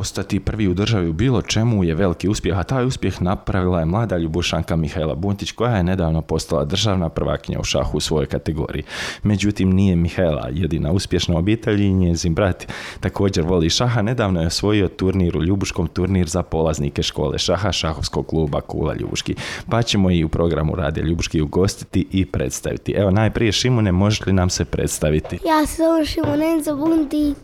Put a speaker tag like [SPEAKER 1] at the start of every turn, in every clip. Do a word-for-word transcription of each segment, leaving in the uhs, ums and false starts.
[SPEAKER 1] Postati prvi u državi u bilo čemu je veliki uspjeh, a taj uspjeh napravila je mlada Ljubušanka Mihaela Buntić koja je nedavno postala državna prvakinja u šahu u svojoj kategoriji. Međutim, nije Mihaela jedina uspješna obitelj i njezin brat također voli šaha. Nedavno je osvojio turnir u Ljubuškom, turnir za polaznike škole šaha šahovskog kluba Kula Ljubuški. Pa ćemo i u programu Radija Ljubuški ugostiti i predstaviti. Evo, najprije Šimune, možeš li nam se predstaviti?
[SPEAKER 2] Ja se zovem Šimunenzo Buntić.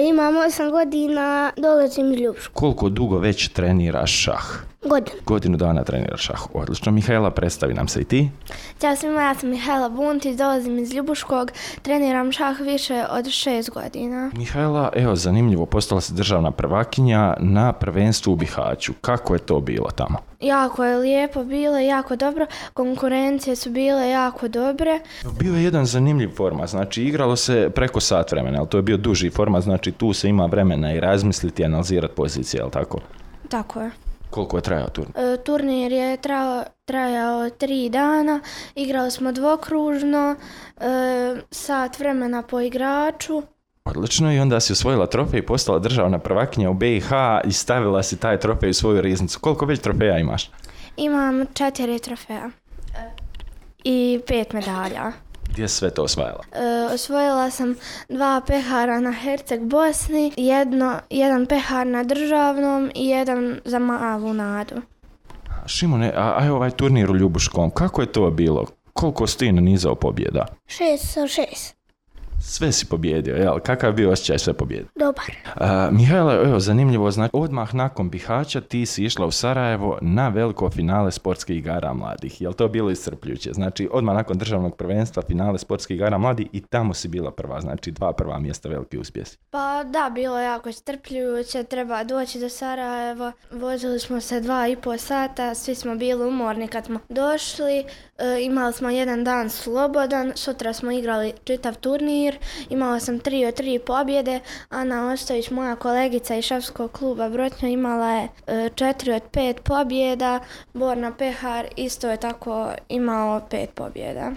[SPEAKER 2] Imam osam godina, dolazim iz Ljubuškog.
[SPEAKER 1] Koliko dugo već treniraš šah?
[SPEAKER 2] Godinu.
[SPEAKER 1] Godinu dana treniraš šah. Odlično. Mihaela, predstavi nam se i ti.
[SPEAKER 3] Ćao svima, ja sam Mihaela Buntić, dolazim iz Ljubuškog, treniram šah više od šest godina.
[SPEAKER 1] Mihaela, evo, zanimljivo, postala si državna prvakinja na prvenstvu u Bihaću. Kako je to bilo tamo?
[SPEAKER 3] Jako je lijepo bilo, jako dobro, konkurencije su bile jako dobre.
[SPEAKER 1] Bio je jedan zanimljiv format, znači igralo se preko sat vremena, ali to je bio duži format, znači tu se ima vremena i razmisliti i analizirati pozicije, jel tako?
[SPEAKER 3] Tako je.
[SPEAKER 1] Koliko je trajao turnir?
[SPEAKER 3] E, turnir je trajao, trajao tri dana, igrali smo dvokružno, e, sat vremena po igraču.
[SPEAKER 1] Odlično, i onda si osvojila trofej i postala državna prvakinja u B i H i stavila si taj trofej u svoju riznicu. Koliko već trofeja imaš?
[SPEAKER 3] Imam četiri trofeja i pet medalja.
[SPEAKER 1] Gdje si sve to osvajala?
[SPEAKER 3] E, osvojila sam dva pehara na Herceg Bosni, jedno, jedan pehar na državnom i jedan za malu nadu.
[SPEAKER 1] Šimone, a, a ovaj turnir u Ljubuškom, kako je to bilo? Koliko si ti nanizao pobjeda?
[SPEAKER 2] Šest sa šest.
[SPEAKER 1] Sve si pobjedio, jel? Kakav je bio osjećaj sve pobjede?
[SPEAKER 2] Dobar.
[SPEAKER 1] Uh, Mihaela, evo, zanimljivo, znači, odmah nakon Bihaća ti si išla u Sarajevo na veliko finale sportskih igara mladih. Jel to bilo iscrpljujuće? Znači, odmah nakon državnog prvenstva finale sportskih igara mladih i tamo si bila prva, znači dva prva mjesta, veliki uspjesi.
[SPEAKER 3] Pa da, bilo je jako iscrpljujuće, treba doći do Sarajeva. Vozili smo se dva i pol sata, svi smo bili umorni kad smo došli. E, imali smo jedan dan slobodan, sutra smo igrali čitav turnir. Imala sam tri od tri pobjede, Ana Ostojić, moja kolegica iz šahskog kluba Brotnja, imala je e, četiri od pet pobjeda, Borna Pehar isto je tako imao pet pobjeda.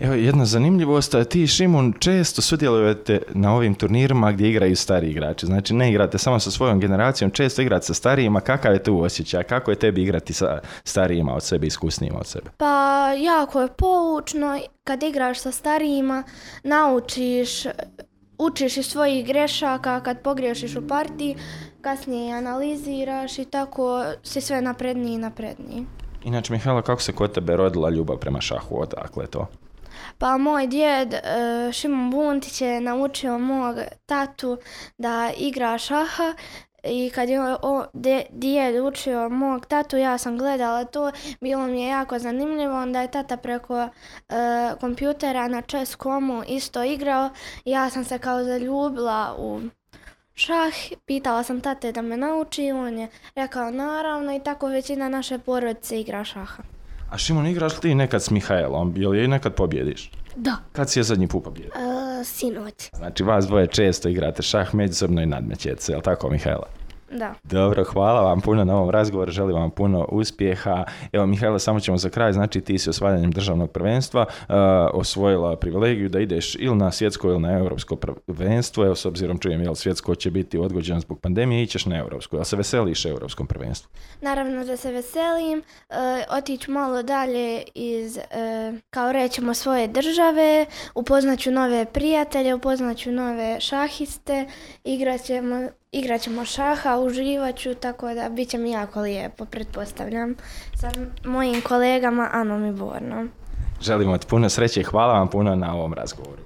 [SPEAKER 1] Evo, jedna zanimljivost, ti, Šimun, često sudjelujete na ovim turnirima gdje igraju stari igrači. Znači, ne igrate samo sa svojom generacijom, često igrate sa starijima. Kakav je tu osjećaj? Kako je tebi igrati sa starijima od sebe, iskusnijima od sebe?
[SPEAKER 3] Pa, jako je poučno. Kad igraš sa starijima, naučiš, učiš iz svojih grešaka, kad pogriješiš u partiji, kasnije analiziraš i tako si sve napredniji i napredniji.
[SPEAKER 1] Inače, Mihaela, kako se kod tebe rodila ljubav prema šahu? Odakle to?
[SPEAKER 3] Pa moj djed Šimon Buntić je naučio mog tatu da igra šaha i kad je o, de, djed učio mog tatu, ja sam gledala to, bilo mi je jako zanimljivo, onda je tata preko e, kompjutera na chess dot comu isto igrao i ja sam se kao zaljubila u šah, pitala sam tate da me nauči, on je rekao naravno i tako većina naše porodice igra šaha.
[SPEAKER 1] A Šimon, igraš li ti nekad s Mihaelom? Jel je nekad pobjediš?
[SPEAKER 2] Da.
[SPEAKER 1] Kad si je zadnji put pobjedio?
[SPEAKER 2] Uh, sinoć.
[SPEAKER 1] Znači, vas dvoje često igrate šah međusobno i nadmećete se, jel tako, Mihaela?
[SPEAKER 3] Da.
[SPEAKER 1] Dobro, hvala vam puno na ovom razgovoru, želim vam puno uspjeha. Evo, Mihaela, samo ćemo za kraj, znači ti si osvajanjem državnog prvenstva uh, osvojila privilegiju da ideš ili na svjetsko ili na europsko prvenstvo. Evo, s obzirom čujem, jel svjetsko će biti odgođeno zbog pandemije, ićeš na europsko. Jel se veseliš europskom prvenstvu?
[SPEAKER 3] Naravno da se veselim, uh, otiću malo dalje iz, uh, kao rećemo, svoje države, upoznaću nove prijatelje, upoznaću nove šahiste, igrat ćemo Igrat ćemo šaha, uživat ću, tako da bit će mi jako lijepo, pretpostavljam, sa mojim kolegama Anom i Bornom.
[SPEAKER 1] Želimo ti puno sreće i hvala vam puno na ovom razgovoru.